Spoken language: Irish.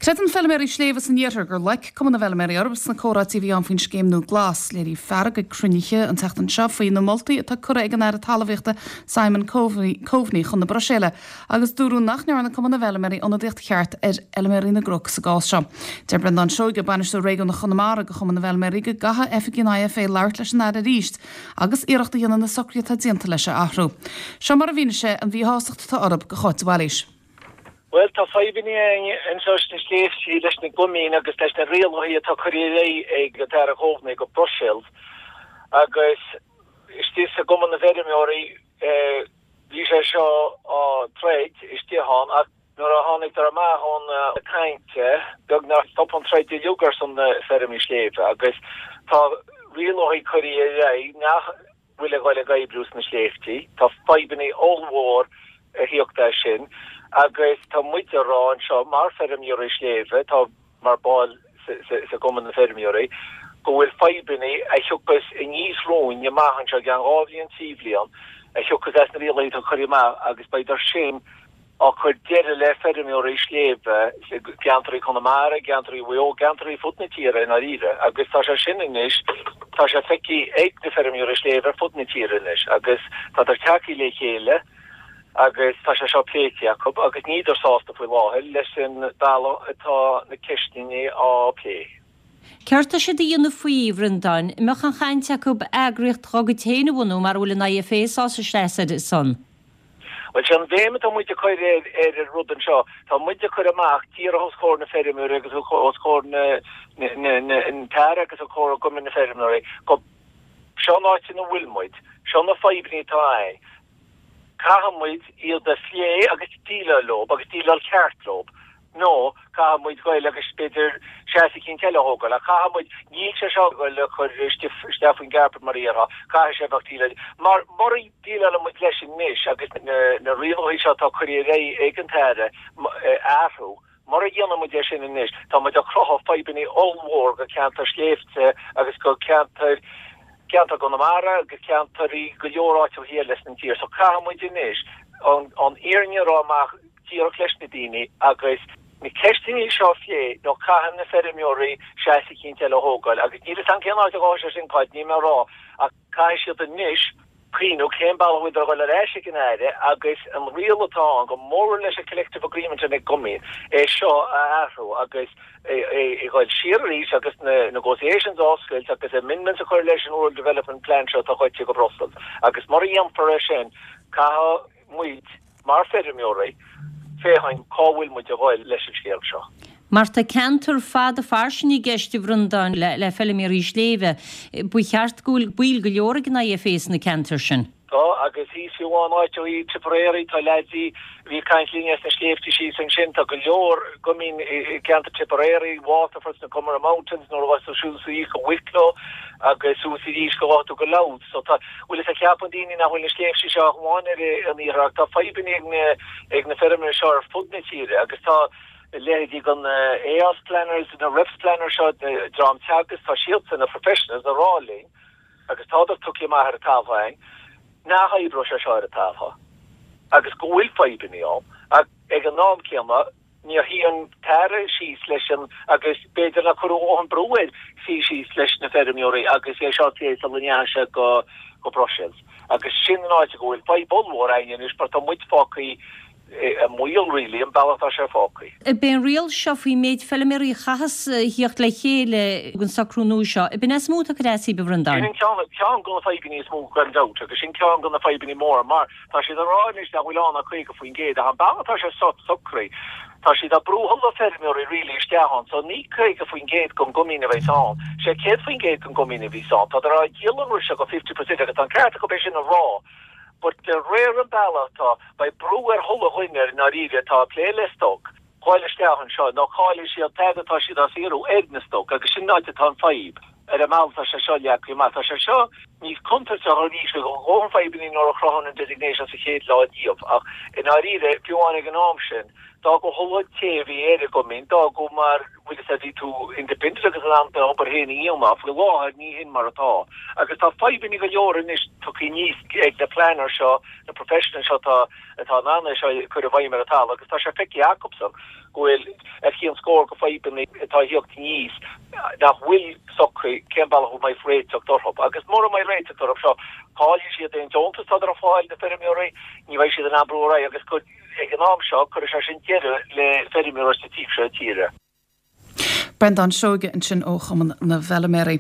Creideann feilméaraí sléibhe san iarthar gur loic Cumann na bhFeilméaraí orthu sna comhráití a bhí ann faoin scéim nua glas. Léiríodh fearg ag cruinnithe an tseachtain seo faoi na moltaí atá curtha ag an Aire Talmhaíochta Simon Coveney chun na Bruiséile agus dúradh nach ndearna Cumann na bhFeilméaraí ionadaíocht cheart ar fheilméaraí na gcnoc sa gcás seo. Deir Breandán Seoige, Bainisteoir Réigiúnach Chonamara do Chumann na bhFeilméaraí go gcaithfidh oifigigh an IFA labhairt leis an Aire arís agus iarracht a dhéanamh na socruithe atá déanta leis a athrú. Seo mar a mhínigh sé an mhíshástacht atá orthu do Cháit de Bhailís. Bhuel, tá fadhbanna againn anseo sna sléibhtí leis na gcoimín agus leis na rialacha atá curtha ar aghaidh ag an tAire Coveney go Brussels agus istigh sa gCumann na bhFeirmeoirí bhí sé seo á troid istigh ann ach nuair a tháinigdar amach ón caint beagnach stop an troid uilig ar son na feirmí sléibhe agus tá rialacha curtha ar aghaidh nach bhfuil ag dul ag oibriú sna sléibhtí. Tá fadhbanna ollmhór a thíocht as sin agus tá muid a rá anseo mar feirmeoirí sléibhe, tá mar ball sa gCumann na Feirmeoirí, go bhfuil fadhbanna a thiocfas aníos romhainn amach anseo i gceann 2 bhliain, 3 bhliain, a thiocfas as na rialacha atá curtha amach agus beidh sin á cur deireadh le feirmeoirí sléibhe i gceantraí Chonamara, i gceantraí Mhaigh Eo, gceantraí fud na tíre i ndáiríre agus tá sé sin anois, tá sé feicthe ag na feirmeoirí sléibhe ar fud na tíre anois agus tádar tagtha le chéile agus tá sé seo pléite acu agus níldar sásta faoi láthair leis an bealach atá na ceisteanna á plé. Céard tá siad a dhéanamh faoi, a Bhreandáin? An mbeadh aon chaint acu eagraíocht dá gcuid féin a bhunú mar a bhfuil an IFA sásta seasamh ar a son? Bhuel, sé an bhéim atá muid ag cur ar ar an rud anseo, tá muid ag cur amach díreach os comhair na feirmeoirí agus os comhair na an tAire agus os comhair Chumann na Feirmeoirí go seo an áit ina bhfuil muid, seo na fadhbanna atá againn, caithfidh muid iad a phlé agus déileáil leo agus déileáil ceart leo. Nó caithfidh muid goil agus b'fhéidir seasamh eicínt eile a thógáil. Ach caithfidh muid, níl sé seo ag goil a chur isteach faoin gcarpet mar a dhéarfá, caithfidh sé a bheith déileáilte. Mar mura déileálann muid leis anois agus na rialacha seo atá curtha ar aghaidh ag an tAire a athrú, mura dhéanann muid é sin anois, tá muid ag cruthú fadhbanna ollmhór go ceantar sléibhte agus go ceantair, ceantar Chonamara agus ceantar i go leor áiteacha eile san tír. So caithfidh muid anois an fhírinne a rá amach díreach leis na daoine agus na ceisteanna seo a phlé nó caithfidh na feirmeoirí seasamh eicínt eile a thógáil agus níl 'fhios a'm cén áit a ghabhfaidh sé sin Cáit, níl mé a rá ach caithfidh siad anois cuimhniú cén bealach a bhfuil a dhul ar ais ag an Aire agus an riail atá ann go mór leis an collective agreement ag an gcumann é seo a athrú agus é a dhul siar arís agus na negotiations a oscailt agus amendments a chur leis an Rural Development Plan seo atá gaibhte go Brussels agus mura dhéanfar é sin caithfidh muid, mar feirmeoirí, féachaint cá bhfuil muid a ghoil leis an scéal seo. Mar tá ceantar fada fairsing i gceist, a Bhreandáin, le feilméaraí sléibhe. Ba cheart go bhfuil baill go leor ag an IFA sna ceantair sin. Tá, agus thíos fiú amháin áit ó thaobh Tipperary, tá leaids a bhí ag caint linn as na sléibhte síos ansin, tá go leor cumainn i gceantar Tipperary, Waterford, sna Comeragh Mountains, nuair a ghabhfas tú suas thíos go Wicklow agus suas arís go ghabhfaidh tú go Louth. So tá, bhfuil fhios a'd, ceapann daoine nach bhfuil na sléibhte seo ach amháin ar an iarthar ach tá fadhbanna ag na, ag na feirmeoirí seo ar fud na tíre agus tá leithéidí den AOS planners, na REPS planners seo, dream Teagasc, tá siadsan, na professionals, a rá linn agus tádar tugtha amach ar an talamh againn nach oibreoidh sé seo ar an talamh agus go bhfuil fadhbanna ann ach ag an am céanna Níor shuigh an tAire síos leis an agus b'fhéidir nár cuireadh a dhóthain brú air suí síos leis na feirmeoirí agus é seo a phlé sula ndeachaigh sé go go Brussels. Agus sin an áit go bhfuil fadhb ollmhór againn anois mar tá muid fágtha i mbaol really, an bealach atá sé fágtha. Ab é an riail seo faoin méid feilméaraí a chaitheas a thíocht le chéile an socrú nua seo, ab in é is mó atá ag cur as daoibh, a Bhreandáin? Sin an ceann, ceann de na fadhbanna is mó gan dabht agus sin ceann de na fadhbanna móra mar Tá siad ag rá anois nach bhfuil ann ach 50% ach an bealach atá sé socraithe, tá siad ag brú chuile feirmeoirí really isteach ann, so ní 50% den gcoimín a bheas ann, sé 100% den gcoimín a bheas ann. Tádar á dhíol an rud seo go 50% agus tá an ceart acu é sin a rá but de réir an bealach atá, beidh brú ar chuile dhuine i ndáiríre atá ag plé le stoc dhul isteach anseo nó caillfidh siad fad atá siad á saothrú ar na stoc agus sin an áit atá an fadhb. Ar an mbealach atá sé seo leagtha amach, tá sé seo níos contúirteach arís a dhóthain fadhbanna nuair a chruthaíodh an designation sa chéad lá díobh ach i ndáiríre, fiú amháin ag an am sin, d'fhágadh an té a bhí ar an gcumann, d'fhágadh mar, bhfuil fhios a'd, bhí tú independent agus in ann d'obair féin a dhéanamh ach faoi láthair ní hin mar atá. Agus tá fadhbanna go leor anois tugtha aníos ag na planners seo, na professionals seo atá atá in ann é seo a chur i bhfeidhm ar an talamh agus tá sé feicthe acubsan go bhfuil ar chionn scór de fadhbanna atá ag theacht aníos nach bhfuil socraithe cén bealach a mbeidh réiteach orthu. Agus mura mbeidh réiteach orthu seo, caillfidh siad aon deontas atá ar fáil na feirmeoirí, ní bheidh siad in ann brú ar aghaidh agus ag an am seo cuirfidh sé sin deireadh le feirmeoireacht sa taobh seo tíre. Breandán Seoige ansin ó Chumann na bhFeilméaraí.